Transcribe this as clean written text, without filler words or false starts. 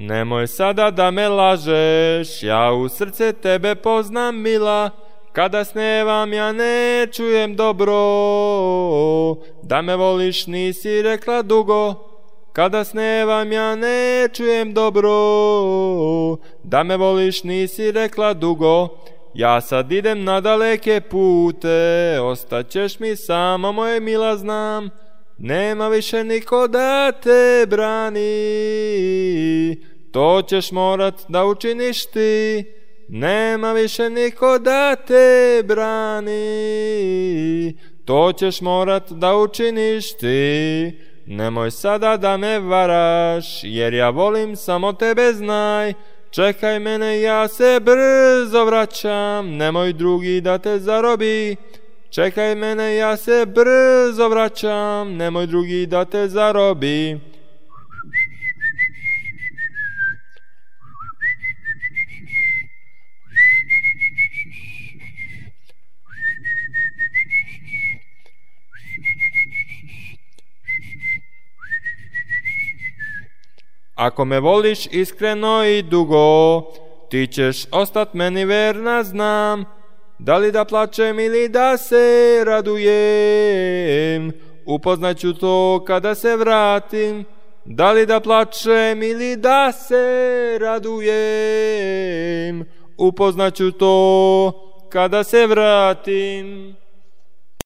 Nemoj sada da me lažeš, ja u srce tebe poznam, mila. Kada snevam ja ne čujem dobro, da me voliš nisi rekla dugo. Kada snevam ja ne čujem dobro, da me voliš nisi rekla dugo. Ja sad idem na daleke pute, ostaćeš mi sama, moje mila, znam. Nema više niko da te brani, to ćeš morat da učiniš ti. Nema više niko da te brani, to ćeš morat da učiniš ti. Nemoj sada da me varaš, jer ja volim samo tebe, znaj. Čekaj mene, ja se brzo vraćam, nemoj drugi da te zarobi. Čekaj mene, ja se brzo vraćam, nemoj drugi da te zarobi. Ako me voliš iskreno i dugo, ti ćeš ostat meni verna, znam. Da li da plačem ili da se radujem, upoznaću to kada se vratim. Da li da plačem ili da se radujem, upoznaću to kada se vratim.